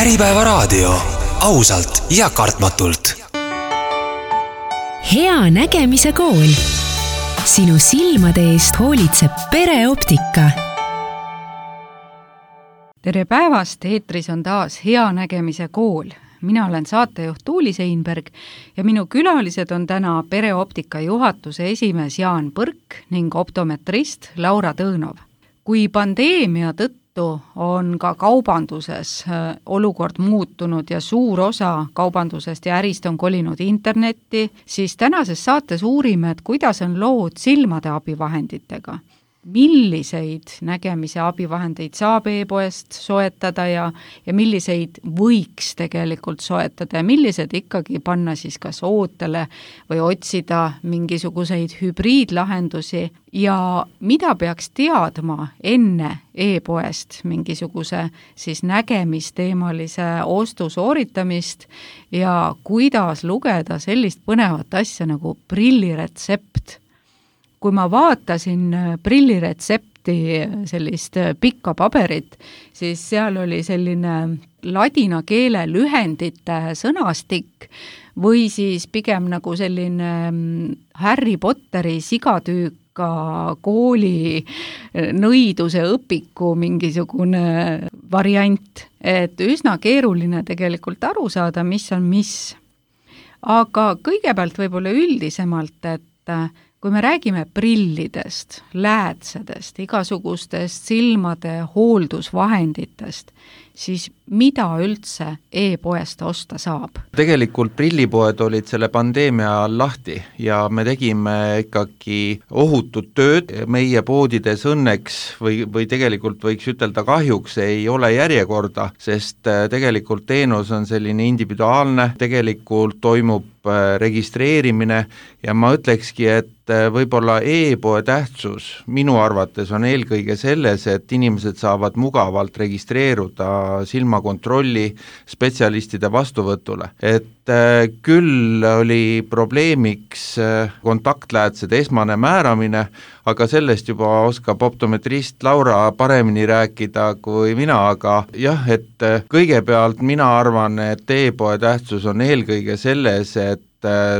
Äripäevaraadio, ausalt ja kartmatult. Hea nägemise kool. Sinu silmade eest hoolitseb Pereoptika. Tere päevast, eetris on taas Hea nägemise kool. Mina olen saatejuht Tuuli Seinberg ja minu külalised on täna Pereoptika juhatuse esimees Jaan Põrk ning optometrist Laura Tõõnov. Kui pandeemia tõttu on ka kaubanduses olukord muutunud ja suur osa kaubandusest ja ärist on kolinud internetti, siis tänases saates uurime, et kuidas on lood silmade abivahenditega. Milliseid nägemise abivahendeid saab e-poest soetada ja milliseid võiks tegelikult soetada ja millised ikkagi panna siis kas ootele või otsida mingisuguseid hübriidlahendusi ja mida peaks teadma enne e-poest mingisuguse siis nägemisteemalise ostu sooritamist ja kuidas lugeda sellist põnevat asja nagu prilliretsept. Kui ma vaatasin prilliretsepti sellist pikka paberit, siis seal oli selline ladina keele lühendite sõnastik või siis pigem nagu selline Harry Potteri sigatüüka kooli nõiduse õpiku mingisugune variant, et üsna keeruline tegelikult aru saada, mis on mis. Aga kõigepealt võib-olla üldisemalt, et kui me räägime prillidest, läätsedest, igasugustest silmade hooldusvahenditest, siis mida üldse e-poest osta saab? Tegelikult prillipoed olid selle pandeemia all lahti ja me tegime ikkagi ohutut tööd. Meie poodides õnneks või tegelikult võiks ütelda kahjuks ei ole järjekorda, sest tegelikult teenus on selline individuaalne, tegelikult toimub registreerimine ja ma ütlekski, et võib-olla e-poe tähtsus minu arvates on eelkõige selles, et inimesed saavad mugavalt registreeruda silmakontrolli spetsialistide vastuvõtule. Et küll oli probleemiks kontaktläätsede esmane määramine, aga sellest juba oskab optometrist Laura paremini rääkida kui mina, aga jah, et kõigepealt mina arvan, et e-poe tähtsus on eelkõige selles, et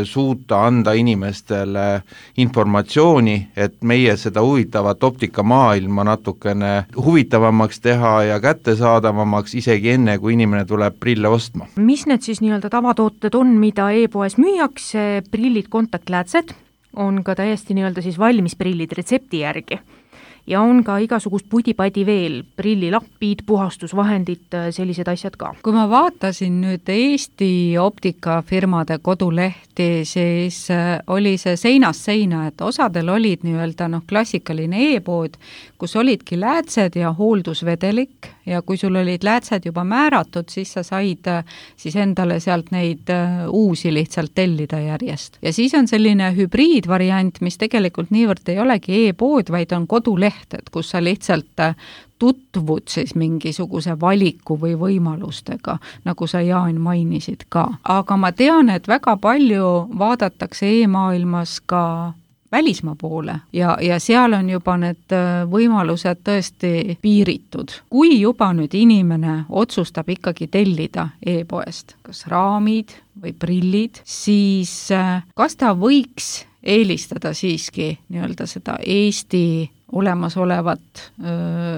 suuta anda inimestele informatsiooni, et meie seda huvitavat optikamaailma natukene huvitavamaks teha ja kättesaadavamaks isegi enne, kui inimene tuleb prille ostma. Mis need siis nii-öelda tavatooted on, mida e-poes müüakse? Prillid, kontaktläätsed on ka täiesti nii-öelda siis valmis prillid retsepti järgi. Ja on ka igasugust pudipadi veel, prillilapid, puhastusvahendid, sellised asjad ka. Kui ma vaatasin nüüd Eesti optikafirmade kodulehti, siis oli see seinast seina, et osadel olid nii-öelda klassikaline e-pood, kus olidki läätsed ja hooldusvedelik ja kui sul olid läätsed juba määratud, siis sa said siis endale sealt neid uusi lihtsalt tellida järjest. Ja siis on selline hübriidvariant, mis tegelikult niivõrd ei olegi e-pood, vaid on koduleht, et kus sa lihtsalt tutvud siis mingisuguse valiku või võimalustega, nagu sa Jaan mainisid ka. Aga ma tean, et väga palju vaadatakse e-maailmas ka välismaa poole ja seal on juba need võimalused tõesti piiritud. Kui juba nüüd inimene otsustab ikkagi tellida e-poest, kas raamid või prillid, siis kas ta võiks eelistada siiski nii-öelda seda Eesti olemasolevat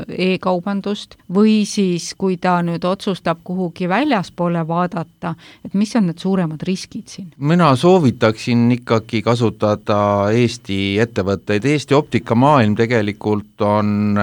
e-kaubandust või siis, kui ta nüüd otsustab kuhugi väljaspoole vaadata, et mis on need suuremad riskid siin? Mina soovitaksin ikkagi kasutada Eesti ettevõtteid. Eesti optikamaailm tegelikult on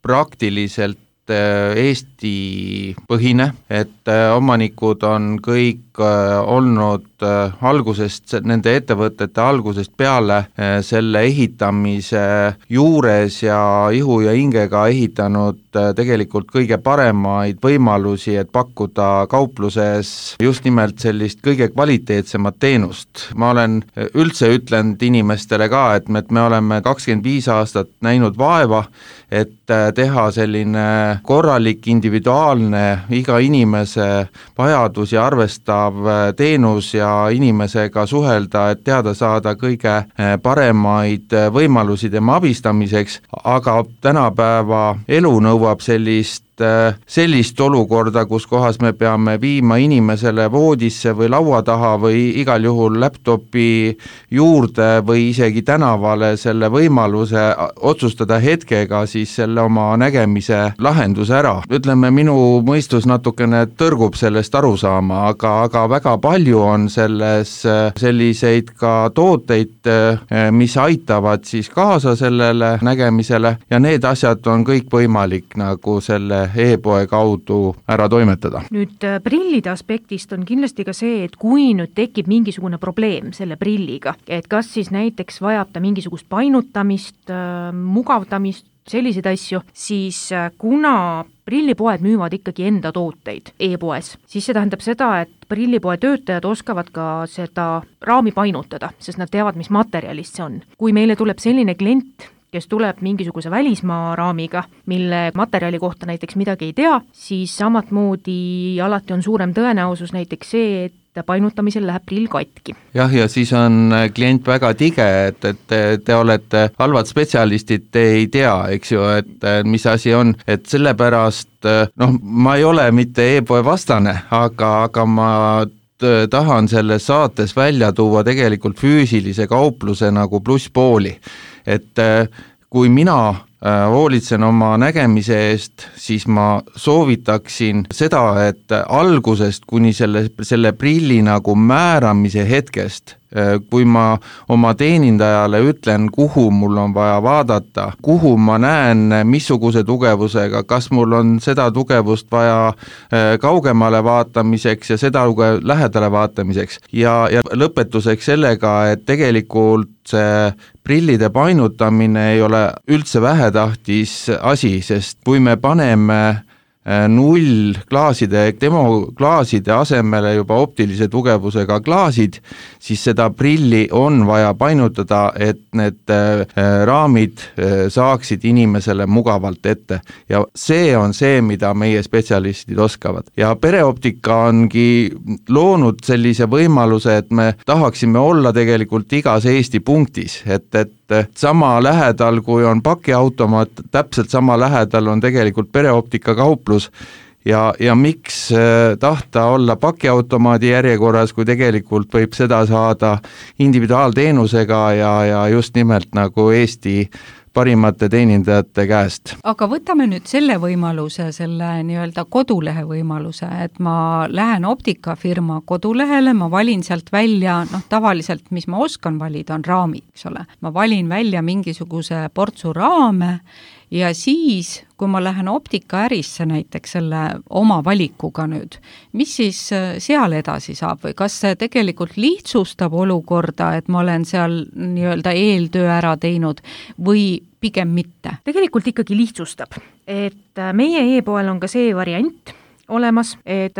praktiliselt Eesti põhine, et omanikud on kõik olnud algusest, nende ettevõtete algusest peale selle ehitamise juures ja ihu ja hingega ehitanud tegelikult kõige paremaid võimalusi, et pakkuda kaupluses just nimelt sellist kõige kvaliteetsemat teenust. Ma olen üldse ütlenud inimestele ka, et me oleme 25 aastat näinud vaeva, et teha selline korralik, individuaalne, iga inimese vajadusi arvestav teenus ja inimesega suhelda, et teada saada kõige paremaid võimalusi tema abistamiseks, aga tänapäeva elu nõuab sellist sellist olukorda, kus kohas me peame viima inimesele voodisse või laua taha või igal juhul laptopi juurde või isegi tänavale selle võimaluse otsustada hetkega siis selle oma nägemise lahenduse ära. Ütleme, minu mõistus natukene tõrgub sellest aru saama, aga väga palju on selles selliseid ka tooteid, mis aitavad siis kaasa sellele nägemisele ja need asjad on kõik võimalik nagu selle e-poe kaudu ära toimetada. Nüüd prillide aspektist on kindlasti ka see, et kui nüüd tekib mingisugune probleem selle prilliga, et kas siis näiteks vajab ta mingisugust painutamist, mugavdamist, selliseid asju, siis kuna prillipoed müüvad ikkagi enda tooteid e-poes, siis see tähendab seda, et prillipoe töötajad oskavad ka seda raami painutada, sest nad teavad, mis materjalist see on. Kui meile tuleb selline klient, kes tuleb mingisuguse välismaa raamiga, mille materjali kohta näiteks midagi ei tea, siis samatmoodi alati on suurem tõenäosus näiteks see, et painutamisel läheb prill katki. Jah, ja siis on klient väga tige, et te olete halvad spetsialistid, te ei tea, eks ju, et mis asi on, et sellepärast, ma ei ole mitte e-poe vastane, aga ma tahan selles saates välja tuua tegelikult füüsilise kaupluse nagu plusspooli, et kui mina hoolitsen oma nägemise eest, siis ma soovitaksin seda, et algusest kuni selle prilli nagu määramise hetkest, kui ma oma teenindajale ütlen, kuhu mul on vaja vaadata, kuhu ma näen, missuguse tugevusega, kas mul on seda tugevust vaja kaugemale vaatamiseks ja seda lähedale vaatamiseks ja lõpetuseks sellega, et tegelikult see prillide painutamine ei ole üldse vähetähtis asi, sest kui me paneme nullklaaside, demoklaaside asemele juba optilise tugevusega klaasid, siis seda prilli on vaja painutada, et need raamid saaksid inimesele mugavalt ette. Ja see on see, mida meie spetsialistid oskavad. Ja pereoptika ongi loonud sellise võimaluse, et me tahaksime olla tegelikult igas Eesti punktis, et sama lähedal, kui on pakiautomaat, täpselt sama lähedal on tegelikult pereoptika kauplus ja miks tahta olla pakiautomaadi järjekorras, kui tegelikult võib seda saada individuaalteenusega ja just nimelt nagu Eesti parimate teenindajate käest. Aga võtame nüüd selle võimaluse, selle nii-öelda kodulehe võimaluse, et ma lähen optikafirma kodulehele, ma valin sealt välja, tavaliselt, mis ma oskan valida, on raamid, eks ole. Ma valin välja mingisuguse portsu raame ja siis, kui ma lähen optikaärisse näiteks selle oma valikuga nüüd, mis siis seal edasi saab või kas see tegelikult lihtsustab olukorda, et ma olen seal nii-öelda eeltöö ära teinud või pigem mitte? Tegelikult ikkagi lihtsustab, et meie e-poel on ka see variant olemas, et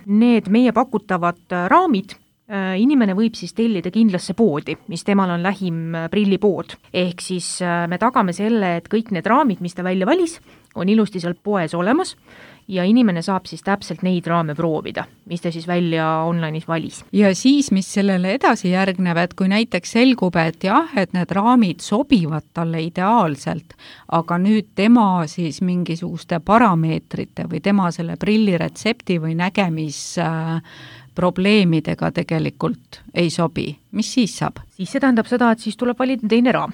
need meie pakutavad raamid inimene võib siis tellida kindlasse poodi, mis temal on lähim prillipood. Ehk siis me tagame selle, et kõik need raamid, mis ta välja valis, on ilusti seal poes olemas ja inimene saab siis täpselt neid raame proovida, mis ta siis välja online'is valis. Ja siis, mis sellele edasi järgneb, et kui näiteks selgub, et jah, et need raamid sobivad talle ideaalselt, aga nüüd tema siis mingisuguste parameetrite või tema selle prilliretsepti või probleemidega tegelikult ei sobi. Mis siis saab? Siis see tähendab seda, et siis tuleb valida teine raam.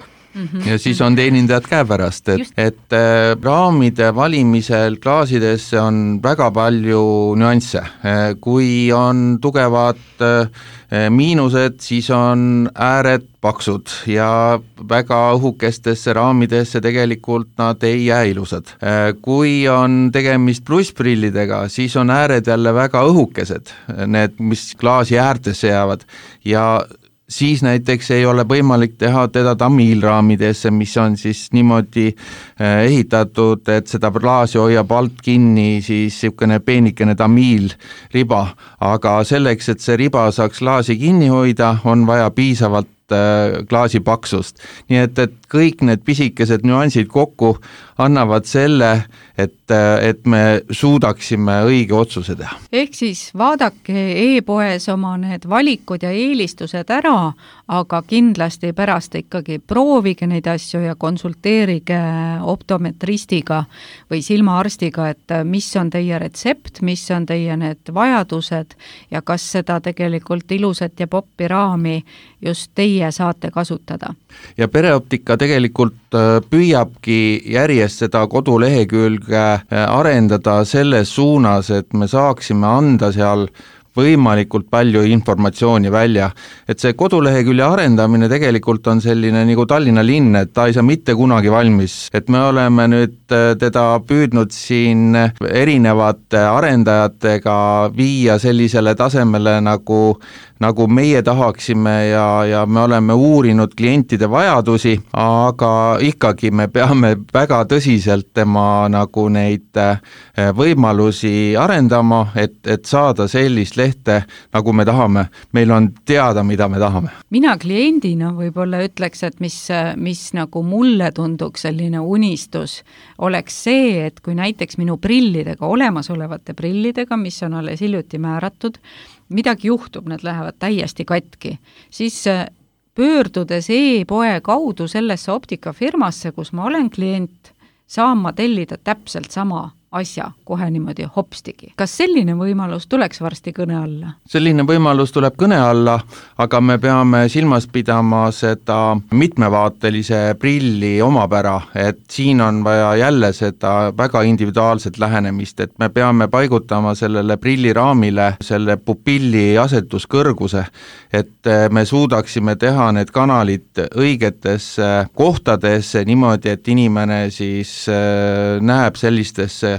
Ja siis on teenindajad käepärast, et raamide valimisel klaasidesse on väga palju nüansse. Kui on tugevad miinused, siis on ääred paksud ja väga õhukestesse raamidesse tegelikult nad ei jää ilusad. Kui on tegemist plussprillidega, siis on ääred jälle väga õhukesed, need, mis klaasi äärtesse jäävad ja siis näiteks ei ole võimalik teha teda tamiilraamidesse, mis on siis niimoodi ehitatud, et seda klaasi hoiab alt kinni siis niisugune peenikene tamiilriba, aga selleks, et see riba saaks klaasi kinni hoida, on vaja piisavalt klaasi paksust. Nii et kõik need pisikesed nüansid kokku annavad selle, et me suudaksime õige otsuse teha. Ehk siis vaadake e-poes oma need valikud ja eelistused ära, aga kindlasti pärast ikkagi proovige neid asju ja konsulteerige optometristiga või silmaarstiga, et mis on teie retsept, mis on teie need vajadused ja kas seda tegelikult ilusat ja poppi raami just teie saate kasutada. Ja Pereoptika tegelikult püüabki järjest seda kodulehekülge arendada selles suunas, et me saaksime anda seal võimalikult palju informatsiooni välja. Et see kodulehekülje arendamine tegelikult on selline nagu Tallinna linn, et ta ei saa mitte kunagi valmis. Et me oleme nüüd teda püüdnud siin erinevate arendajatega viia sellisele tasemele, nagu meie tahaksime ja me oleme uurinud klientide vajadusi, aga ikkagi me peame väga tõsiselt tema nagu neid võimalusi arendama, et saada sellist lehte, nagu me tahame. Meil on teada, mida me tahame. Mina kliendina võib-olla ütleks, et mis nagu mulle tunduks selline unistus, oleks see, et kui näiteks minu prillidega, olemasolevate prillidega, mis on alles hiljuti määratud, midagi juhtub, need lähevad täiesti katki, siis pöördudes e-poe kaudu sellesse optikafirmasse, kus ma olen klient, saan ma tellida täpselt sama asja kohe niimoodi hopstigi. Kas selline võimalus tuleks varsti kõne alla? Selline võimalus tuleb kõne alla, aga me peame silmas pidama seda mitmevaatelise prilli omapära, et siin on vaja jälle seda väga individuaalset lähenemist, et me peame paigutama sellele prilliraamile selle pupilli asetuskõrguse, et me suudaksime teha need kanalid õigetesse kohtadesse niimoodi, et inimene siis näeb sellistesse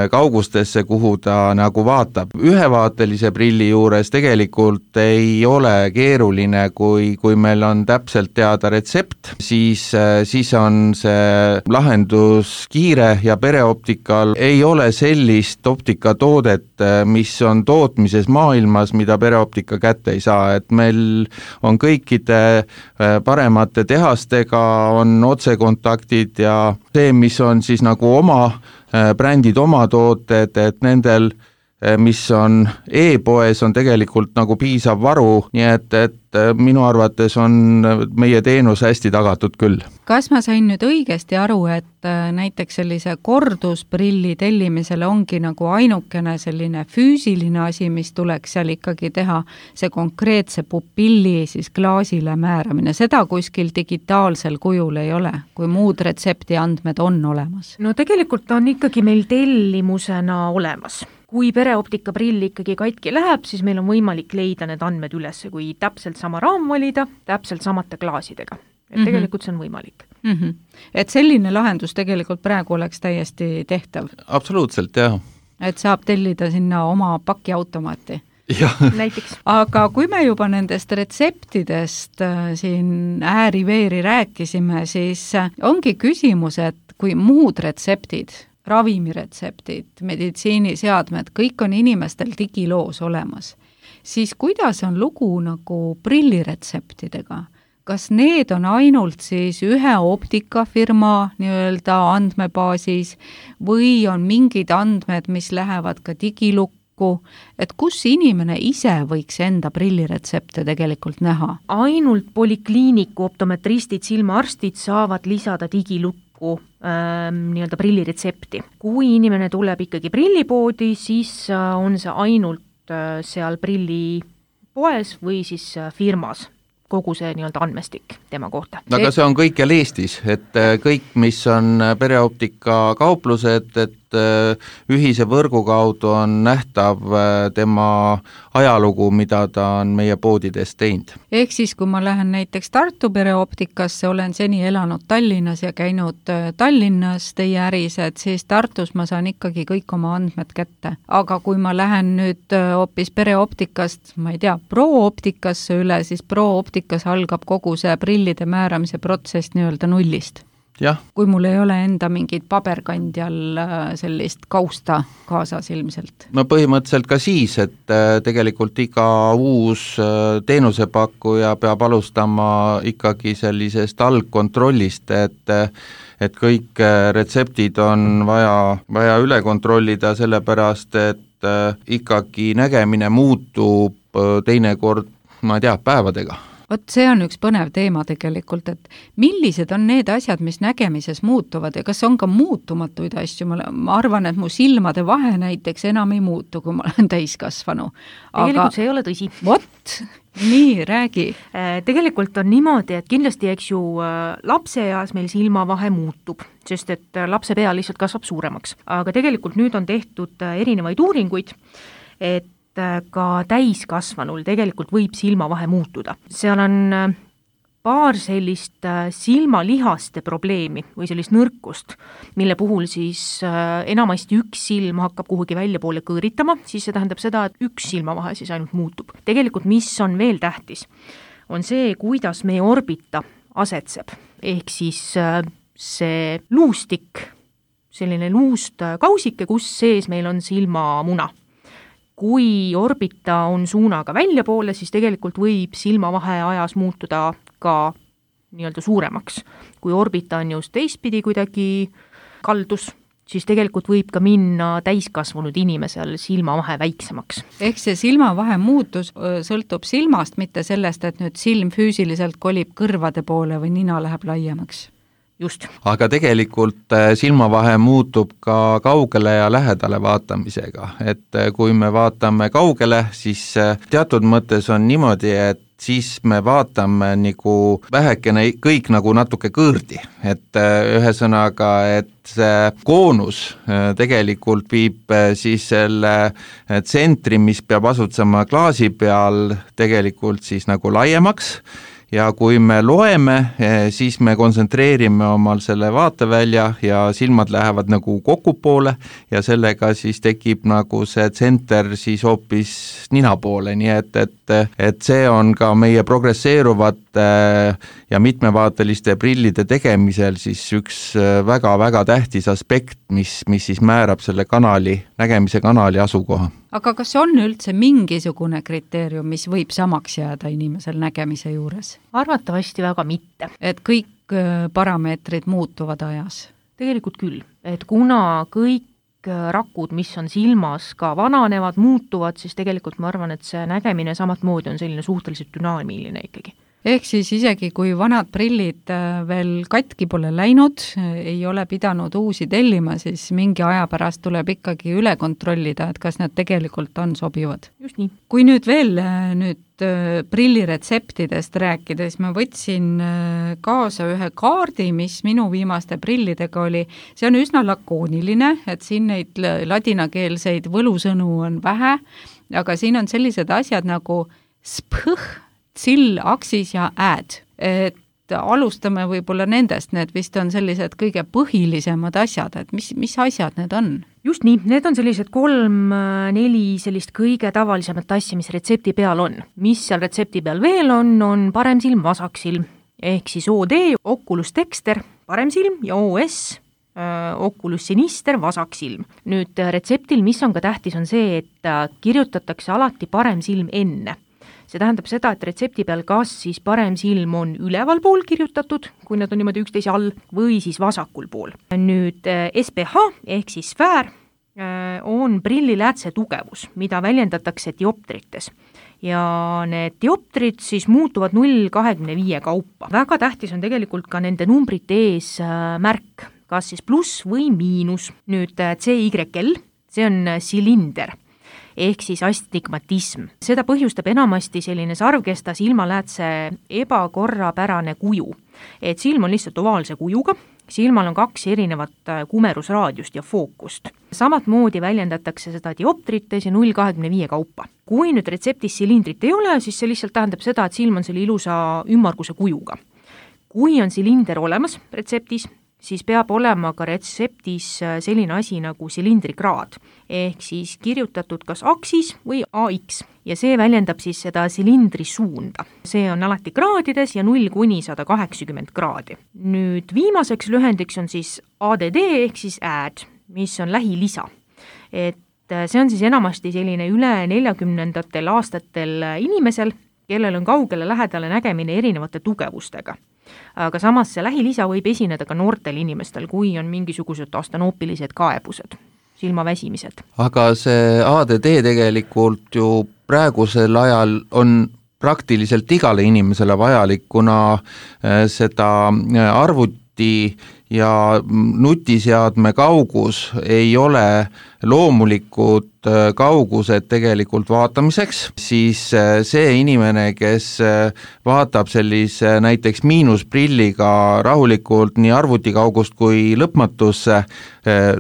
kaugustesse, kuhu ta nagu vaatab. Ühevaatelise prilli juures tegelikult ei ole keeruline, kui meil on täpselt teada retsept, siis on see lahendus kiire ja Pereoptikal ei ole sellist optikatoodet, mis on tootmises maailmas, mida Pereoptika kätte ei saa, et meil on kõikide paremate tehastega on otsekontaktid ja see, mis on siis nagu oma brändid, oma tooted, et nendel, mis on e-poes, on tegelikult nagu piisav varu, nii et minu arvates on meie teenus hästi tagatud küll. Kas ma sain nüüd õigesti aru, et näiteks sellise kordusprilli tellimisele ongi nagu ainukene selline füüsiline asi, mis tuleks seal ikkagi teha, see konkreetse pupilli siis klaasile määramine, seda kuskil digitaalsel kujul ei ole, kui muud retsepti andmed on olemas? No tegelikult on ikkagi meil tellimusena olemas. Kui Pereoptika prill ikkagi katki läheb, siis meil on võimalik leida need andmed üles, kui täpselt sama raam valida, täpselt samate klaasidega. Et tegelikult see on võimalik. Et selline lahendus tegelikult praegu oleks täiesti tehtav? Absoluutselt, jah. Et saab tellida sinna oma pakiautomaati? Näiteks. Aga kui me juba nendest retseptidest siin ääri-veeri rääkisime, siis ongi küsimus, et kui muud retseptid, ravimiretseptid, meditsiiniseadmed, kõik on inimestel digiloos olemas, siis kuidas on lugu nagu prilliretseptidega? Kas need on ainult siis ühe optikafirma nii-öelda andmebaasis või on mingid andmed, mis lähevad ka digilukku, et kus inimene ise võiks enda prilliretsepte tegelikult näha? Ainult polikliiniku optometristid, silmaarstid saavad lisada digilukku nii-öelda prilliretsepti. Kui inimene tuleb ikkagi prillipoodi, siis on see ainult seal prillipoes või siis firmas kogu see nii-öelda andmestik tema kohta. Aga see on kõikjal Eestis, et kõik, mis on Pereoptika kauplused, et ühise võrgu kaudu on nähtav tema ajalugu, mida ta on meie poodides teinud. Ehk siis, kui ma lähen näiteks Tartu Pereoptikasse, olen seni elanud Tallinnas ja käinud Tallinnas teie ärised, siis Tartus ma saan ikkagi kõik oma andmed kätte. Aga kui ma lähen nüüd hoopis Pereoptikast, ma ei tea, Prooptikasse üle, siis Prooptikas algab kogu see prillide määramise protsess nii-öelda nullist. jah. Kui mul ei ole enda mingit paberkandjal sellist kausta kaasas ilmselt? No põhimõtteliselt ka siis, et tegelikult iga uus teenusepakkuja peab alustama ikkagi sellisest algkontrollist, et kõik retseptid on vaja üle kontrollida, sellepärast et ikkagi nägemine muutub teinekord, ma ei tea, päevadega. Vot see on üks põnev teema tegelikult, et millised on need asjad, mis nägemises muutuvad ja kas on ka muutumatuid asju, ma arvan, et mu silmade vahe näiteks enam ei muutu, kui ma olen täiskasvanu. Tegelikult see ei ole tõsi. Vot, nii, räägi. Tegelikult on niimoodi, et kindlasti eks ju lapseeas meil silmavahe muutub, sest et lapse pea lihtsalt kasvab suuremaks. Aga tegelikult nüüd on tehtud erinevaid uuringuid, et ka täiskasvanul tegelikult võib silmavahe muutuda. Seal on paar sellist silmalihaste probleemi või sellist nõrkust, mille puhul siis enamasti üks silm hakkab kuhugi välja poole kõõritama, siis see tähendab seda, et üks silmavahe siis ainult muutub. Tegelikult mis on veel tähtis, on see, kuidas meie orbita asetseb, ehk siis see luustik, selline luust kausike, kus sees meil on silmamuna. Kui orbita on suunaga väljapoole, siis tegelikult võib silmavahe ajas muutuda ka nii-öelda suuremaks. Kui orbita on just teistpidi kuidagi kaldus, siis tegelikult võib ka minna täiskasvanud inimesel silmavahe väiksemaks. Ehk see silmavahe muutus sõltub silmast, mitte sellest, et nüüd silm füüsiliselt kolib kõrvade poole või nina läheb laiemaks. Just. Aga tegelikult silmavahe muutub ka kaugele ja lähedale vaatamisega, et kui me vaatame kaugele, siis teatud mõttes on niimoodi, et siis me vaatame nagu vähekene kõik nagu natuke kõõrdi, et ühesõnaga, et see koonus tegelikult viib siis selle tsentri, mis peab asutsema klaasi peal, tegelikult siis nagu laiemaks. Ja kui me loeme, siis me kontsentreerime omal selle vaatevälja ja silmad lähevad nagu kokku poole ja sellega siis tekib nagu see tsenter siis hoopis nina poole, nii et see on ka meie progresseeruvate ja mitmevaateliste prillide tegemisel siis üks väga-väga tähtis aspekt, mis siis määrab selle nägemise kanali asukoha. Aga kas on üldse mingisugune kriteerium, mis võib samaks jääda inimesel nägemise juures? Arvatavasti väga mitte. Et kõik parameetrid muutuvad ajas? Tegelikult küll, et kuna kõik rakud, mis on silmas, ka vananevad, muutuvad, siis tegelikult ma arvan, et see nägemine samat moodi on selline suhteliselt dünaamiline ikkagi. Ehk siis isegi kui vanad prillid veel katki pole läinud, ei ole pidanud uusi tellima, siis mingi aja pärast tuleb ikkagi üle kontrollida, et kas need tegelikult on sobivad. Just nii. Kui nüüd veel prilliretseptidest rääkida, siis ma võtsin kaasa ühe kaardi, mis minu viimaste prillidega oli. See on üsna lakooniline, et siin neid ladinakeelseid võlusõnu on vähe, aga siin on sellised asjad nagu spõh, sill, aksis ja ääd. Et alustame võib-olla nendest, need vist on sellised kõige põhilisemad asjad, et mis asjad need on? Just nii, need on sellised 3-4 sellist kõige tavalisemat asja, mis retsepti peal on. Mis seal retsepti peal veel on parem silm, vasak silm, ehk siis OD, Oculus Dexter, parem silm ja OS, Oculus Sinister, vasak silm. Nüüd retseptil, mis on ka tähtis, on see, et kirjutatakse alati parem silm enne. See tähendab seda, et retsepti peal kas siis parem silm on üleval pool kirjutatud, kui nad on niimoodi üksteise all, või siis vasakul pool. Nüüd SPH ehk siis sfäär on prilliläätse tugevus, mida väljendatakse dioptrites. Ja need dioptrid siis muutuvad 0,25 kaupa. Väga tähtis on tegelikult ka nende numbrite ees märk, kas siis pluss või miinus. Nüüd CYL, see on silinder ehk siis astigmatism. Seda põhjustab enamasti selline sarvkesta silmaläätse ebakorrapärane kuju. Et silm on lihtsalt ovaalse kujuga, silmal on 2 erinevat kumerusraadiust ja fookust. Samat moodi väljendatakse seda dioptrites ja 0,25 kaupa. Kui nüüd retseptis silindrit ei ole, siis see lihtsalt tähendab seda, et silm on selle ilusa ümmarguse kujuga. Kui on silinder olemas retseptis, siis peab olema ka retseptis selline asi nagu silindrikraad, ehk siis kirjutatud kas aksis või AX ja see väljendab siis seda silindri suunda. See on alati kraadides ja 0–180 kraadi. Nüüd viimaseks lühendiks on siis ADD ehk siis add, mis on lähilisa. Et see on siis enamasti selline üle 40-ndatel aastatel inimesel, kellel on kaugele lähedale nägemine erinevate tugevustega. Aga samas see lähilisa võib esineda ka noortel inimestel, kui on mingisugused astanoopilised kaebused, silmaväsimised. Aga see ADD tegelikult ju praegusel ajal on praktiliselt igale inimesele vajalik, kuna seda arvuti ja nutiseadme kaugus ei ole loomulikud kaugused tegelikult vaatamiseks, siis see inimene, kes vaatab sellise näiteks miinusprilliga rahulikult nii arvutikaugust kui lõpmatusse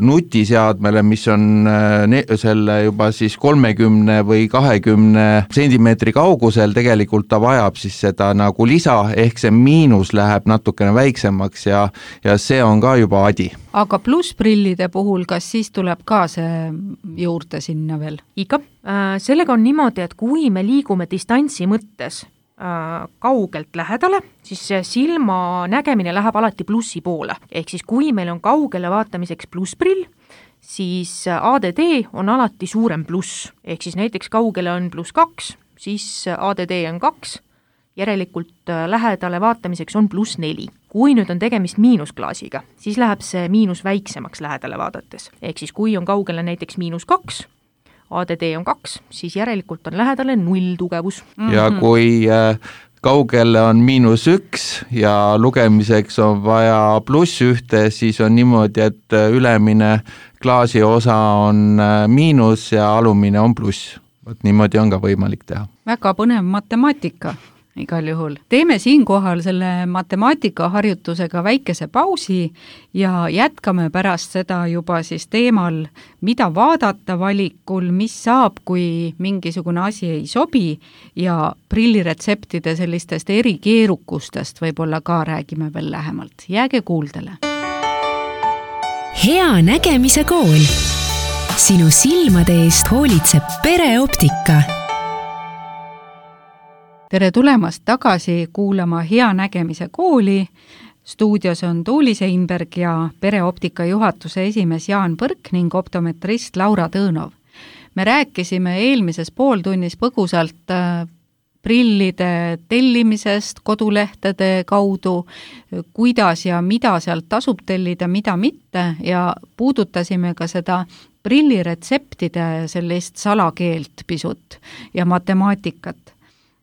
nutiseadmele, mis on selle juba siis 30 või 20 sentimeetri kaugusel, tegelikult ta vajab siis seda nagu lisa, ehk see miinus läheb natukene väiksemaks ja see on ka juba adi. Aga plussprillide puhul, kas siis tuleb ka see juurde sinna veel? Ikka. Sellega on niimoodi, et kui me liigume distantsi mõttes kaugelt lähedale, siis silma nägemine läheb alati plussi poole. Ehk siis kui meil on kaugele vaatamiseks plussprill, siis ADD on alati suurem pluss. Ehk siis näiteks kaugele on +2, siis ADD on 2, järelikult lähedale vaatamiseks on +4. Kui nüüd on tegemist miinusklaasiga, siis läheb see miinus väiksemaks lähedale vaadates. Ehk siis kui on kaugele näiteks -2, ADD on 2, siis järelikult on lähedale 0 tugevus. Ja kui kaugele on -1 ja lugemiseks on vaja +1, siis on niimoodi, et ülemine klaasi osa on miinus ja alumine on pluss. Võt niimoodi on ka võimalik teha. Väga põnev matemaatika. Igal juhul. Teeme siinkohal selle matemaatikaharjutusega väikese pausi ja jätkame pärast seda juba siis teemal, mida vaadata valikul, mis saab, kui mingisugune asi ei sobi ja prilliretseptide sellistest erikeerukustest võib-olla ka räägime veel lähemalt. Jääge kuuldele. Hea nägemise kool. Sinu silmade eest hoolitseb pereoptika. Tere tulemast tagasi kuulama Hea nägemise kooli. Stuudios on Tuuli Seinberg ja pereoptika juhatuse esimees Jaan Põrk ning optometrist Laura Tõõnov. Me rääkisime eelmises pooltunnis põgusalt prillide tellimisest kodulehtede kaudu, kuidas ja mida sealt tasub tellida, mida mitte ja puudutasime ka seda prilliretseptide sellist salakeelt pisut ja matemaatikat.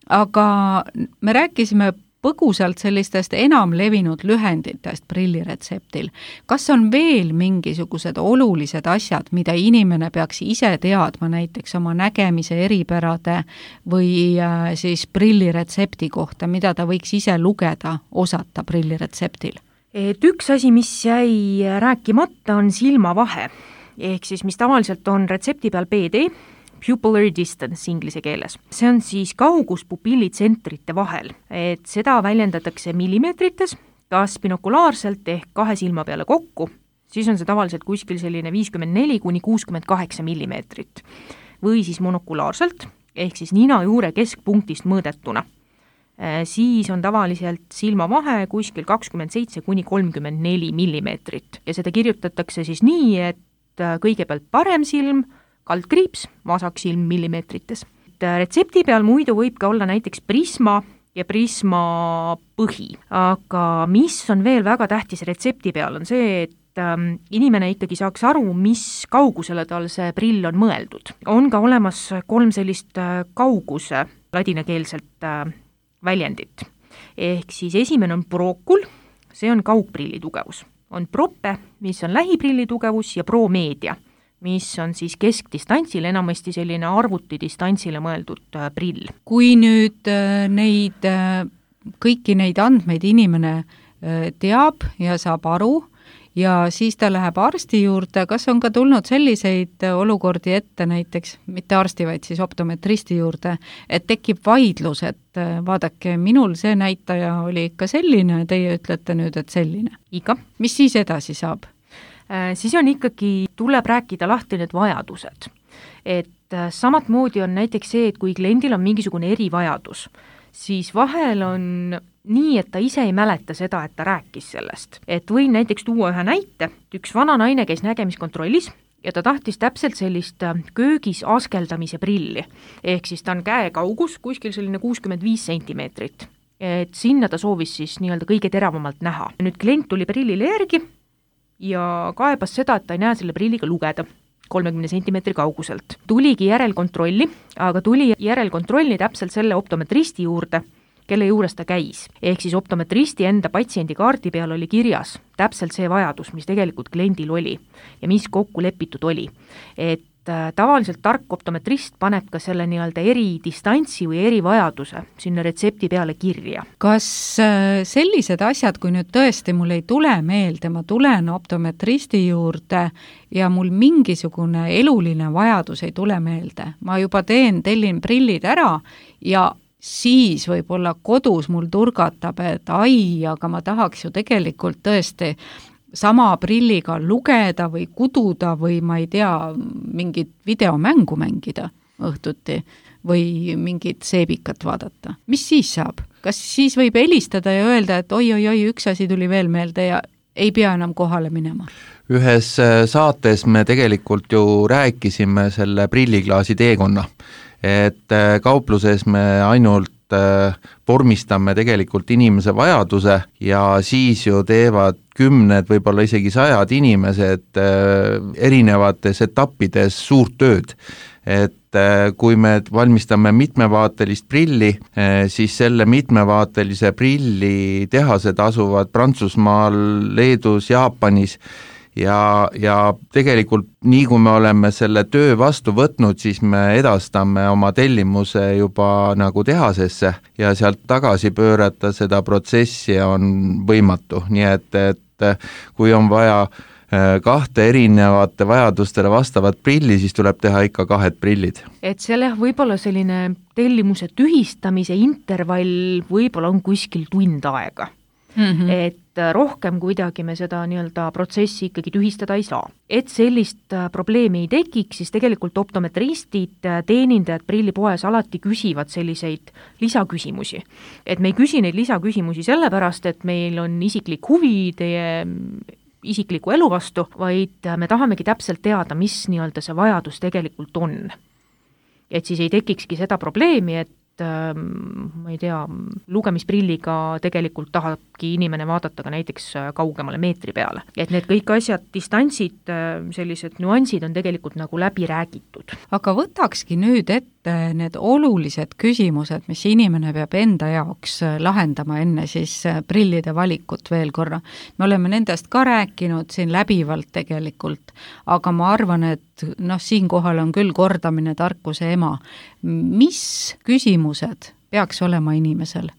Aga me rääkisime põgusalt sellistest enam levinud lühenditest prilliretseptil. Kas on veel mingisugused olulised asjad, mida inimene peaks ise teadma näiteks oma nägemise eripärade või siis prilliretsepti kohta, mida ta võiks ise lugeda, osata prilliretseptil? Et üks asi, mis jäi rääkimata, on silmavahe, ehk siis mis tavaliselt on retsepti peal PD, pupillary distance inglise keeles. See on siis kaugus pupillitsentrite vahel, et seda väljendatakse millimeetrites, kas binokulaarselt ehk 2 silma peale kokku, siis on see tavaliselt kuskil selline 54–68 millimeetrit. Või siis monokulaarselt, ehk siis nina juure keskpunktist mõõdetuna. Siis on tavaliselt silmavahe kuskil 27–34 millimeetrit. Ja seda kirjutatakse siis nii, et kõigepealt parem silm, kaldkriips, vasak silm millimeetrites. Retsepti peal muidu võib ka olla näiteks prisma ja prisma põhi. Aga mis on veel väga tähtis retsepti peal on see, et inimene ikkagi saaks aru, mis kaugusele tal see prill on mõeldud. On ka olemas 3 sellist kauguse ladinakeelselt väljendit. Ehk siis esimene on prokul, see on kaugprilli tugevus. On prope, mis on lähiprilli tugevus ja promeedia, mis on siis keskdistantsile, enamasti selline arvutidistantsile mõeldud prill. Kui nüüd kõiki neid andmeid inimene teab ja saab aru ja siis ta läheb arsti juurde, kas on ka tulnud selliseid olukordi ette näiteks, mitte arsti, vaid siis optometristi juurde, et tekib vaidlus, et vaadake, minul see näitaja oli ikka selline, teie ütlete nüüd, et selline. Iga. Mis siis edasi saab? Siis on ikkagi, tuleb rääkida lahti need vajadused. Et samatmoodi on näiteks see, et kui kliendil on mingisugune erivajadus, siis vahel on nii, et ta ise ei mäleta seda, et ta rääkis sellest. Et võin näiteks tuua ühe näite, üks vana naine käis nägemiskontrollis ja ta tahtis täpselt sellist köögis askeldamise prilli. Ehk siis ta on käe kaugus, kuskil selline 65 sentimeetrit. Et sinna ta soovis siis nii-öelda kõige teravamalt näha. Nüüd klient tuli prillile järgi ja kaebas seda, et ta ei näe selle prilliga lugeda 30 sentimeetri kauguselt. Tuligi järelkontrolli, aga tuli järelkontrolli täpselt selle optometristi juurde, kelle juures ta käis. Ehk siis optometristi enda patsiendikaardi peal oli kirjas täpselt see vajadus, mis tegelikult kliendil oli ja mis kokku lepitud oli. Et tavaliselt tark optometrist paneb ka selle nii-öelda eridistantsi või erivajaduse sinna retsepti peale kirja. Kas sellised asjad, kui nüüd tõesti mul ei tule meelde, ma tulen optometristi juurde ja mul mingisugune eluline vajadus ei tule meelde, ma juba tellin prillid ära ja siis võib-olla kodus mul turgatab, et aga ma tahaks ju tegelikult tõesti sama prilliga lugeda või kududa või ma ei tea, mingit videomängu mängida õhtuti või mingit seebikat vaadata. Mis siis saab? Kas siis võib helistada ja öelda, et oi, üks asi tuli veel meelde ja ei pea enam kohale minema? Ühes saates me tegelikult ju rääkisime selle prilliklaasi teekonna, et kaupluses me ainult vormistame tegelikult inimese vajaduse ja siis ju teevad 10, võib-olla isegi 100 inimesed erinevates etappides suurt tööd. Et kui me valmistame mitmevaatelist prilli, siis selle mitmevaatelise prilli tehased asuvad Prantsusmaal, Leedus, Jaapanis ja tegelikult nii kui me oleme selle töö vastu võtnud, siis me edastame oma tellimuse juba nagu tehasesse ja sealt tagasi pöörata seda protsessi on võimatu, nii et kui on vaja 2 erinevate vajadustele vastavat prilli, siis tuleb teha ikka 2 prillid. Et selle võib-olla selline tellimuse tühistamise intervall võib-olla on kuskil tund aega. Et rohkem kuidagi me seda nii-öelda protsessi ikkagi tühistada ei saa. Et sellist probleemi ei tekiks, siis tegelikult optometristid, teenindajad prillipoes alati küsivad selliseid lisaküsimusi. Et me ei küsi neid lisaküsimusi sellepärast, et meil on isiklik huvi teie isikliku elu vastu, vaid me tahamegi täpselt teada, mis nii-öelda see vajadus tegelikult on. Et siis ei tekikski seda probleemi, et ma ei tea, lugemisprilliga tegelikult tahabki inimene vaadata ka näiteks kaugemale meetri peale. Et need kõik asjad, distantsid, sellised nüansid on tegelikult nagu läbi räägitud. Aga võtakski nüüd ette need olulised küsimused, mis inimene peab enda jaoks lahendama enne siis prillide valikut veel korra. Me oleme nendest ka rääkinud siin läbivalt tegelikult, aga ma arvan, et siinkohal on küll kordamine tarkuse ema. Mis küsimused peaks olema inimesel,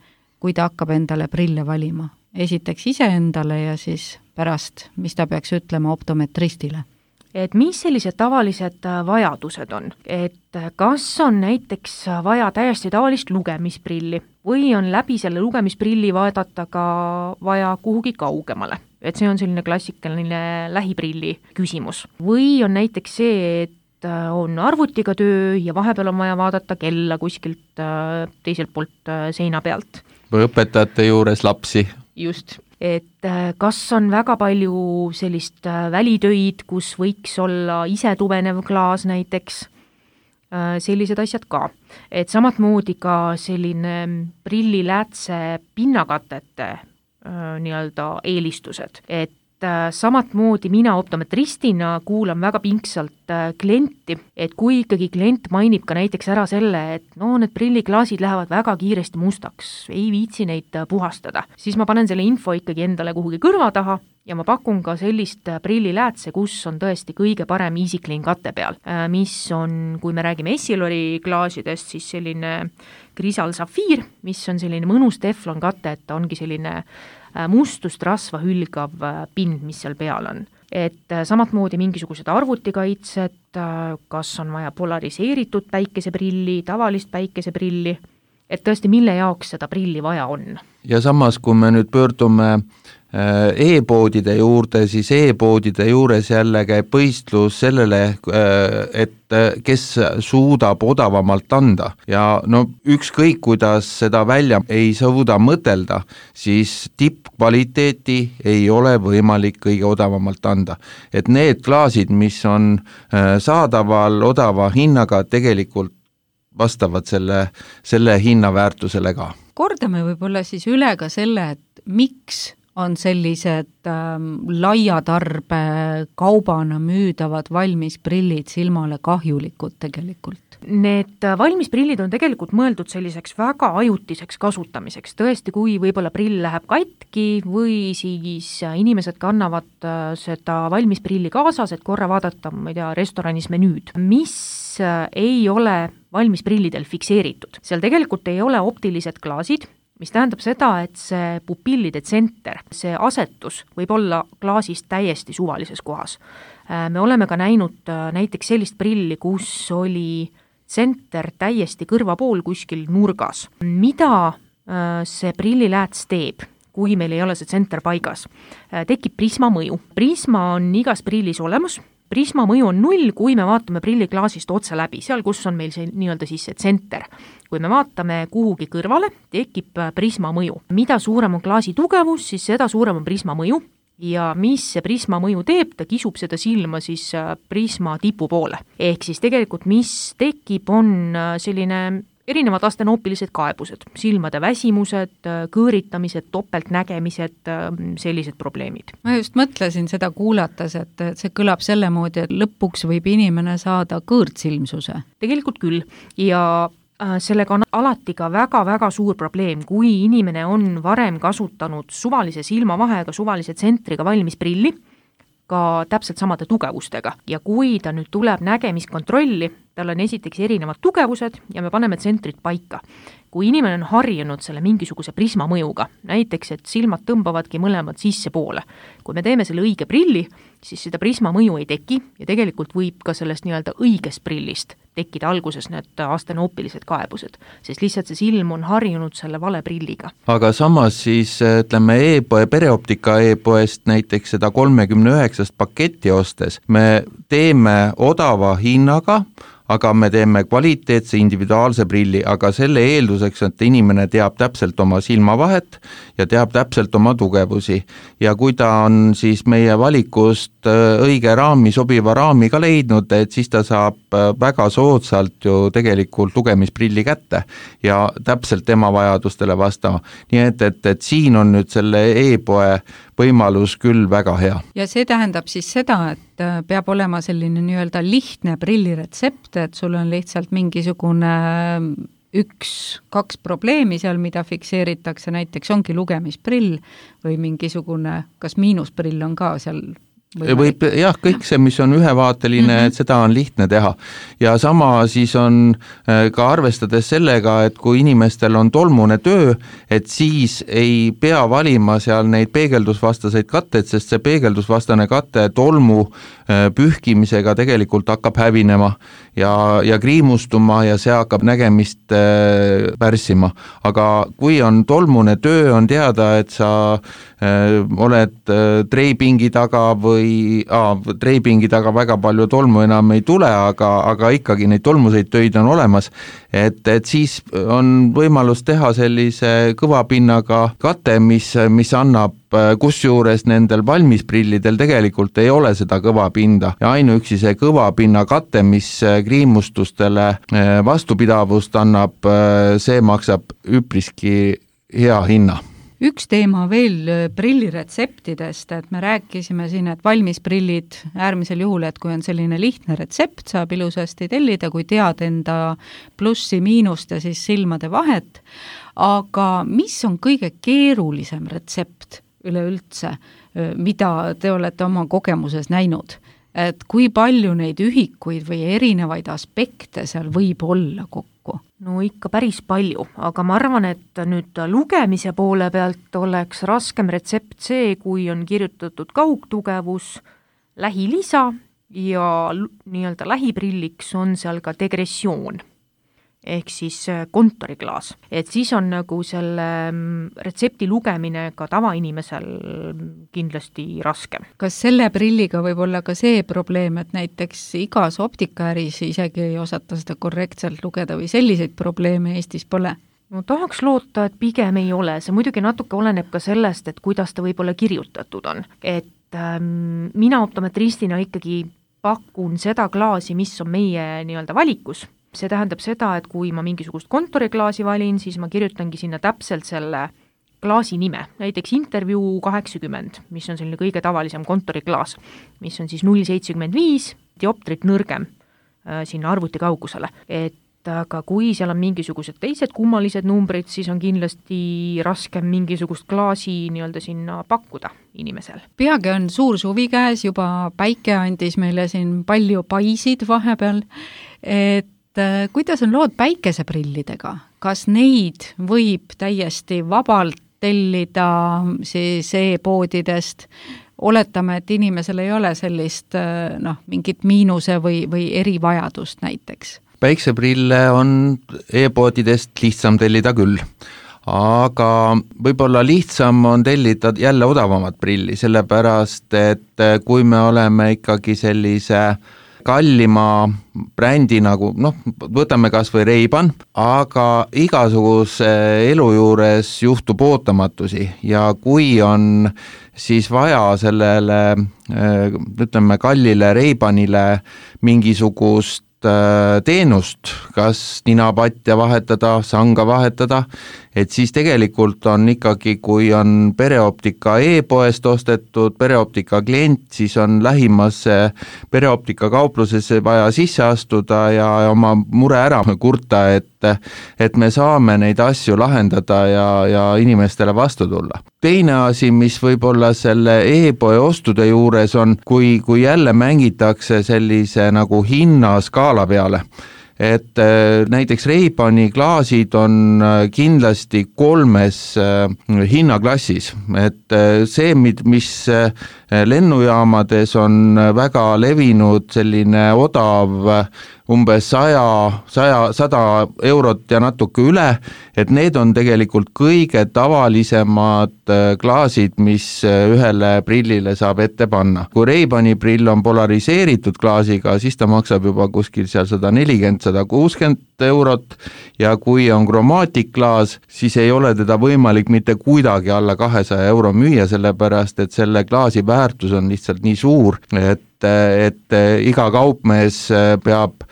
kui ta hakkab endale prille valima? Esiteks iseendale ja siis pärast, mis ta peaks ütlema optometristile? Et mis sellised tavalised vajadused on? Et kas on näiteks vaja täiesti tavalist lugemisprilli või on läbi selle lugemisprilli vaadata ka vaja kuhugi kaugemale? Et see on selline klassikaline lähiprilli küsimus. Või on näiteks see, et on arvutiga töö ja vahepeal on vaja vaadata kella kuskilt teiselt poolt seina pealt. Või õpetajate juures lapsi. Just. Et kas on väga palju sellist välitöid, kus võiks olla ise tuvenev klaas näiteks, sellised asjad ka. Et samatmoodi ka selline prilliläätse pinnakatete nii-öelda eelistused, et samatmoodi mina optometristina kuulan väga pingsalt klienti, et kui ikkagi klient mainib ka näiteks ära selle, et need prilliklaasid lähevad väga kiiresti mustaks, ei viitsi neid puhastada, siis ma panen selle info ikkagi endale kuhugi kõrva taha ja ma pakun ka sellist prilliläätse, kus on tõesti kõige parem EasyClean kate peal, mis on, kui me räägime Essilori klaasidest, siis selline Crisal Sapphire, mis on selline mõnus teflon kate, et ta ongi selline mustust rasva hülgav pind, mis seal peal on. Et samatmoodi mingisugused arvutikaitsed, kas on vaja polariseeritud päikeseprilli, tavalist päikeseprilli, et tõesti, mille jaoks seda prilli vaja on. Ja samas, kui me nüüd pöördume e-poodide juurde, siis e-poodide juures jälle käib võistlus sellele, et kes suudab odavamalt anda ja no ükskõik, kuidas seda välja ei suuda mõtelda, siis tippkvaliteeti ei ole võimalik kõige odavamalt anda. Et need klaasid, mis on saadaval odava hinnaga, tegelikult vastavad selle hinnaväärtusele ka. Kordame võib-olla siis üle ka selle, et miks on sellised laiatarbe kaubana müüdavad valmisprillid silmale kahjulikud tegelikult? Need valmisprillid on tegelikult mõeldud selliseks väga ajutiseks kasutamiseks. Tõesti, kui võib-olla prill läheb katki või siis inimesed kannavad seda valmisprilli kaasas, et korra vaadata, ma ei tea, restoranis menüüd, mis ei ole valmisprillidel fikseeritud. Seal tegelikult ei ole optilised klaasid, mis tähendab seda, et see pupillide tsenter, see asetus võib olla klaasist täiesti suvalises kohas. Me oleme ka näinud näiteks sellist prilli, kus oli tsenter täiesti kõrva pool kuskil nurgas. Mida see prillilääts teeb, kui meil ei ole see tsenter paigas? Tekib prisma mõju. Prisma on igas prillis olemas. Prisma mõju on 0, kui me vaatame prilliklaasist otse läbi, seal kus on meil see nii-öelda siis see tsenter. Kui me vaatame kuhugi kõrvale, tekib prisma mõju. Mida suurem on klaasi tugevus, siis seda suurem on prisma mõju ja mis see prisma mõju teeb, ta kisub seda silma siis prisma tipu poole. Ehk siis tegelikult mis tekib, on selline erinevad astenoopilised kaebused, silmade väsimused, kõõritamised, topeltnägemised, sellised probleemid. Ma just mõtlesin seda kuulates, et see kõlab selle moodi, et lõpuks võib inimene saada kõõrtsilmsuse. Tegelikult küll ja sellega on alati ka väga-väga suur probleem, kui inimene on varem kasutanud suvalise silmavahega, suvalise tsentriga valmis prilli, ka täpselt samade tugevustega ja kui ta nüüd tuleb nägemiskontrolli, tal on esiteks erinevad tugevused ja me paneme tsentrit paika. Kui inimene on harjunud selle mingisuguse prisma mõjuga, näiteks, et silmad tõmbavadki mõlemad sisse poole, kui me teeme selle õige prilli, siis seda prisma mõju ei teki ja tegelikult võib ka sellest nii-öelda õigest prillist tekkida alguses need astenoopilised kaebused, sest lihtsalt see silm on harjunud selle vale prilliga. Aga samas siis ütleme pereoptika e-poest näiteks seda 39 paketti ostes, me teeme odava hinnaga, aga me teeme kvaliteetse individuaalse prilli, aga selle eelduseks, et inimene teab täpselt oma silmavahet ja teab täpselt oma tugevusi. Ja kui ta on siis meie valikust õige raami, sobiva raami ka leidnud, et siis ta saab väga soodsalt ju tegelikult lugemisprilli kätte ja täpselt tema vajadustele vastama. Nii et siin on nüüd selle e-poe võimalus küll väga hea. Ja see tähendab siis seda, et peab olema selline nii-öelda lihtne prilliretsept, et sul on lihtsalt mingisugune 1-2 probleemi seal, mida fikseeritakse, näiteks ongi lugemisprill või mingisugune, kas miinusprill on ka seal võib, jah, kõik see, mis on ühevaateline, et seda on lihtne teha. Ja sama siis on ka arvestades sellega, et kui inimestel on tolmune töö, et siis ei pea valima seal neid peegeldusvastaseid katteid, sest see peegeldusvastane katte tolmu pühkimisega tegelikult hakkab hävinema ja kriimustuma ja see hakkab nägemist pärssima. Aga kui on tolmune töö, on teada, et sa oled treipingi taga või treipingi taga väga palju tolmu enam ei tule, aga ikkagi neid tolmuseid töid on olemas, et siis on võimalus teha sellise kõvapinnaga kate, mis annab, kusjuures nendel valmisprillidel tegelikult ei ole seda kõvapinda ja ainuüksi see kõvapinna kate, mis kriimustustele vastupidavust annab, see maksab üpriski hea hinna. Üks teema veel prilliretseptidest, et me rääkisime siin, et valmisprillid äärmisel juhul, et kui on selline lihtne retsept, saab ilusasti tellida, kui tead enda plussi, miinust ja siis silmade vahet, aga mis on kõige keerulisem retsept üleüldse, mida te olete oma kogemuses näinud? et kui palju neid ühikuid või erinevaid aspekte seal võib olla kokku? No ikka päris palju, aga ma arvan, et nüüd lugemise poole pealt oleks raskem retsept see, kui on kirjutatud kaugtugevus, lähilisa ja nii-öelda lähiprilliks on seal ka degressioon ehk siis kontoriklaas. Et siis on nagu selle retsepti lugemine ka tavainimesel kindlasti raskem. Kas selle prilliga võib olla ka see probleem, et näiteks igas optikaäris isegi ei osata seda korrektselt lugeda või selliseid probleeme Eestis pole? No tahaks loota, et pigem ei ole. See muidugi natuke oleneb ka sellest, et kuidas ta võib-olla kirjutatud on. Et mina optometristina ikkagi pakun seda klaasi, mis on meie nii-öelda valikus. See tähendab seda, et kui ma mingisugust kontoriklaasi valin, siis ma kirjutangi sinna täpselt selle klaasi nime, näiteks Interview 80, mis on selline kõige tavalisem kontoriklaas, mis on siis 0,75 dioptrit nõrgem sinna arvuti kaugusele. Et aga kui seal on mingisugused teised kummalised numbrid, siis on kindlasti raskem mingisugust klaasi nii-öelda sinna pakkuda inimesel. Peagi on suur suvi käes, juba päike andis meile siin palju paisid vahepeal, et kuidas on lood päikeseprillidega? Kas neid võib täiesti vabalt tellida siis e-poodidest? Oletame, et inimesel ei ole sellist mingit miinuse või erivajadust näiteks. Päikseprille on e-poodidest lihtsam tellida küll, aga võib-olla lihtsam on tellida jälle odavamat prilli, sellepärast et kui me oleme ikkagi sellise kallima brändi nagu, võtame kas või Ray-Ban, aga igasuguse elu juures juhtub ootamatusi ja kui on siis vaja sellele, ütleme, kallile Ray-Banile mingisugust teenust, kas ninapatja vahetada, sanga vahetada, et siis tegelikult on ikkagi, kui on pereoptika e-poest ostetud pereoptika klient, siis on lähimasse pereoptika kauplusesse vaja sisse astuda ja oma mure ära kurta, et me saame neid asju lahendada ja inimestele vastu tulla. Teine asi, mis võib-olla selle e-poe ostude juures on, kui jälle mängitakse sellise nagu hinnaskaala peale, et näiteks Ray-Bani klaasid on kindlasti 3 hinnaklassis, et see, mis lennujaamades on väga levinud selline odav umbes 100 eurot ja natuke üle, et need on tegelikult kõige tavalisemad klaasid, mis ühele prillile saab ette panna. Kui Ray-Bani prill on polariseeritud klaasiga, siis ta maksab juba kuskil seal 140-160 eurot ja kui on kromaatikklaas, siis ei ole teda võimalik mitte kuidagi alla 200 euro müüa, sellepärast et selle klaasi väärtus on lihtsalt nii suur, et iga kaupmees peab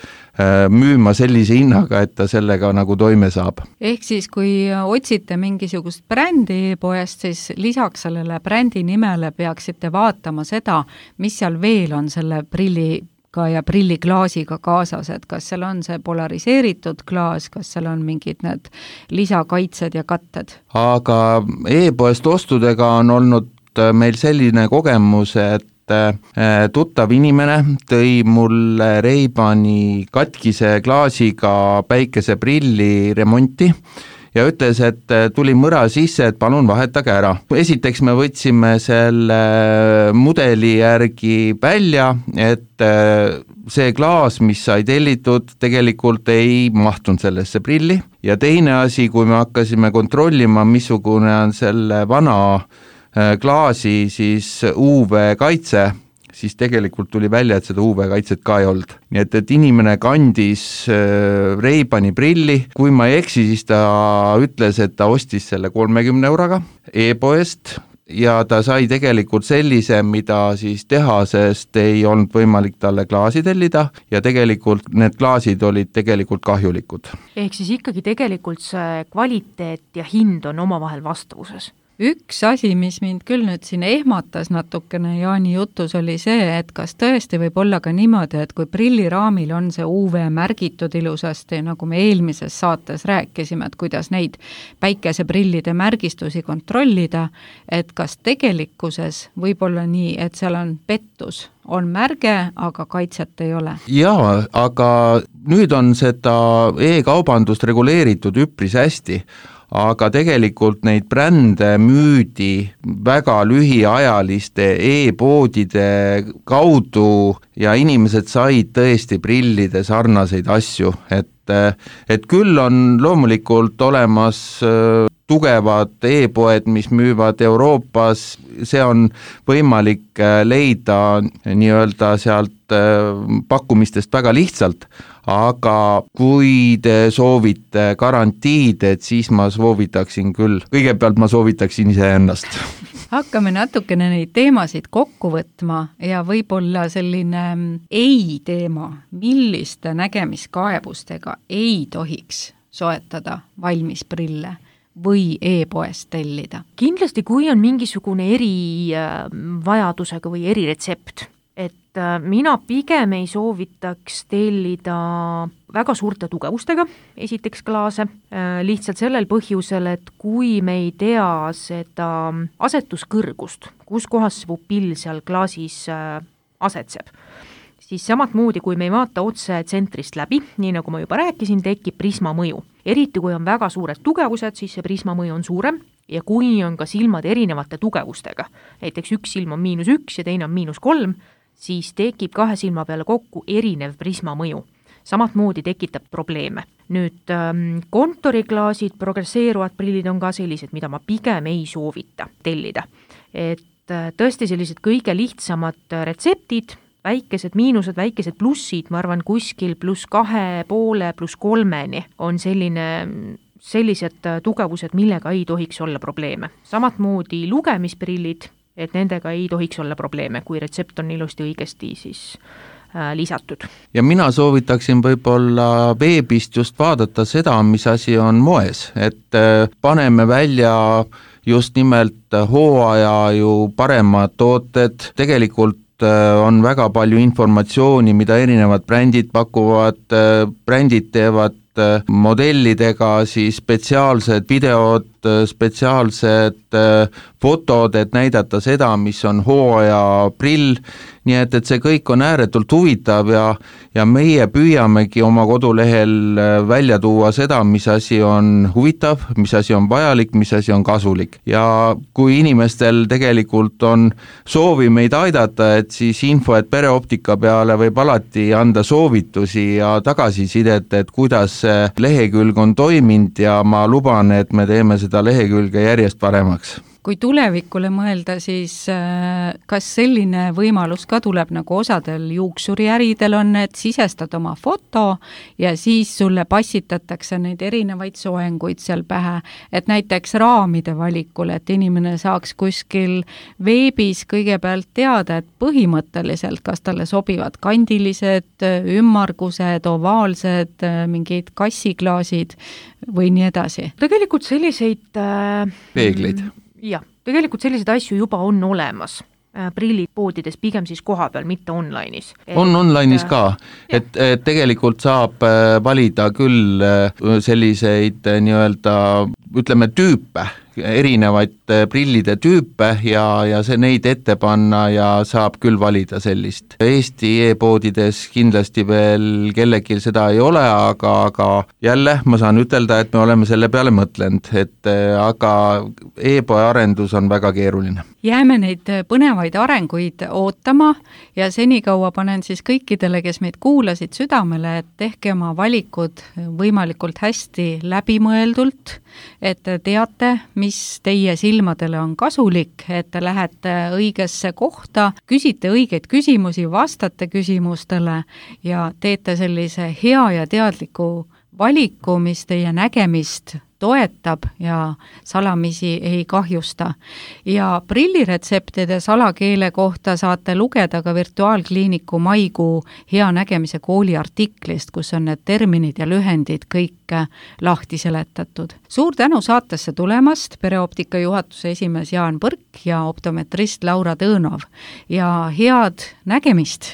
müüma sellise hinnaga, et ta sellega nagu toime saab. Ehk siis, kui otsite mingisugust brändi poest, siis lisaks sellele brändi nimele peaksite vaatama seda, mis seal veel on selle prilliga ja prilliklaasiga kaasas, et kas seal on see polariseeritud klaas, kas seal on mingid need lisakaitsed ja katted. Aga e-poest ostudega on olnud meil selline kogemus, et tuttav inimene tõi mulle Ray-Bani katkise klaasiga päikeseprilli remonti ja ütles, et tuli mõra sisse, et palun vahetage ära. Esiteks me võtsime selle mudeli järgi välja, et see klaas, mis sai tellitud, tegelikult ei mahtunud sellesse prilli ja teine asi, kui me hakkasime kontrollima, missugune on selle vana klaasi siis UV-kaitse, siis tegelikult tuli välja, et seda UV-kaitset ka ei olnud. Nii et inimene kandis Ray-Bani prilli, kui ma ei eksi, siis ta ütles, et ta ostis selle 30 euroga e-poest ja ta sai tegelikult sellise, mida siis tehasest ei olnud võimalik talle klaasi tellida ja tegelikult need klaasid olid tegelikult kahjulikud. Ehk siis ikkagi tegelikult see kvaliteet ja hind on omavahel vastavuses? Üks asi, mis mind küll nüüd siin ehmatas natukene Jaani jutus, oli see, et kas tõesti võib olla ka niimoodi, et kui prilliraamil on see UV märgitud ilusasti, nagu me eelmises saates rääkisime, et kuidas neid päikeseprillide märgistusi kontrollida, et kas tegelikkuses võib olla nii, et seal on pettus, on märge, aga kaitset ei ole? Jaa, aga nüüd on seda e-kaubandust reguleeritud üpris hästi, aga tegelikult neid brände müüdi väga lühiajaliste e-poodide kaudu ja inimesed said tõesti prillide sarnaseid asju, et küll on loomulikult olemas tugevad e-poed, mis müüvad Euroopas, see on võimalik leida nii-öelda sealt pakkumistest väga lihtsalt, aga kui te soovite garantiid, et siis ma soovitaksin küll, kõigepealt ma soovitaksin iseennast. Hakkame natukene neid teemasid kokku võtma ja võib-olla selline ei-teema, milliste nägemiskaebustega ei tohiks soetada valmis prille või e-poest tellida? Kindlasti, kui on mingisugune erivajadusega või eriretsept, et mina pigem ei soovitaks tellida väga suurte tugevustega, esiteks klaase, lihtsalt sellel põhjusel, et kui me ei tea seda asetuskõrgust, kus kohas see pupill seal klaasis asetseb, siis samat moodi, kui me ei vaata otse tsentrist läbi, nii nagu ma juba rääkisin, tekib prisma mõju. Eriti kui on väga suured tugevused, siis see prisma mõju on suurem ja kui on ka silmad erinevate tugevustega, näiteks üks silm on -1 ja teine on -3, siis tekib kahe silma peale kokku erinev prisma mõju. Samat moodi tekitab probleeme. Nüüd kontoriklaasid, progresseeruvad prillid on ka sellised, mida ma pigem ei soovita tellida. Et tõesti sellised kõige lihtsamad retseptid, väikesed miinused, väikesed plussid, ma arvan kuskil +2,5, +3 on sellised tugevused, millega ei tohiks olla probleeme. Samat moodi lugemisprillid, et nendega ei tohiks olla probleeme, kui retsept on ilusti õigesti siis lisatud. Ja mina soovitaksin võib-olla veebist just vaadata seda, mis asi on moes, et paneme välja just nimelt hooaja ju paremad tooted, tegelikult on väga palju informatsiooni, mida erinevad brändid pakuvad, brändid teevad modellidega siis spetsiaalsed videod, spetsiaalsed fotod, et näidata seda, mis on hooaja prill, nii et see kõik on ääretult huvitav ja meie püüamegi oma kodulehel välja tuua seda, mis asi on huvitav, mis asi on vajalik, mis asi on kasulik. Ja kui inimestel tegelikult on soovi meid aidata, et siis info, et pereoptika peale võib alati anda soovitusi ja tagasisidet, et kuidas see lehekülg on toiminud ja ma luban, et me teeme seda lehekülge järjest paremaks. Kui tulevikule mõelda, siis kas selline võimalus ka tuleb, nagu osadel juuksuriäridel on, et sisestad oma foto ja siis sulle passitatakse neid erinevaid soenguid seal pähe, et näiteks raamide valikul, et inimene saaks kuskil veebis kõigepealt teada, et põhimõtteliselt, kas talle sobivad kandilised, ümmargused, ovaalsed, mingid kassiklaasid või nii edasi. Tegelikult selliseid peegleid. Jah, tegelikult selliseid asju juba on olemas. Prillid poodides pigem siis koha peal, mitte online'is. On online'is ka, et tegelikult saab valida küll selliseid nii-öelda, ütleme, tüüpe, erinevaid prillide tüüpe ja see neid ette panna ja saab küll valida sellist. Eesti e-poodides kindlasti veel kellelgi seda ei ole, aga jälle ma saan ütelda, et me oleme selle peale mõtlenud, aga e-poe arendus on väga keeruline. Jääme neid põnevaid arenguid ootama ja senikaua panen siis kõikidele, kes meid kuulasid südamele, et tehke oma valikud võimalikult hästi läbimõeldult, et teate, mis teie silmadele on kasulik, et te lähete õigesse kohta, küsite õigeid küsimusi, vastate küsimustele ja teete sellise hea ja teadliku valiku, mis teie nägemist toetab ja salamisi ei kahjusta. Ja prilliretseptide salakeele kohta saate lugeda ka Virtuaalkliiniku maikuu hea nägemise kooli artiklist, kus on need terminid ja lühendid kõik lahti seletatud. Suur tänu saatesse tulemast, Pereoptika juhatuse esimees Jaan Põrk ja optometrist Laura Tõõnov ja head nägemist!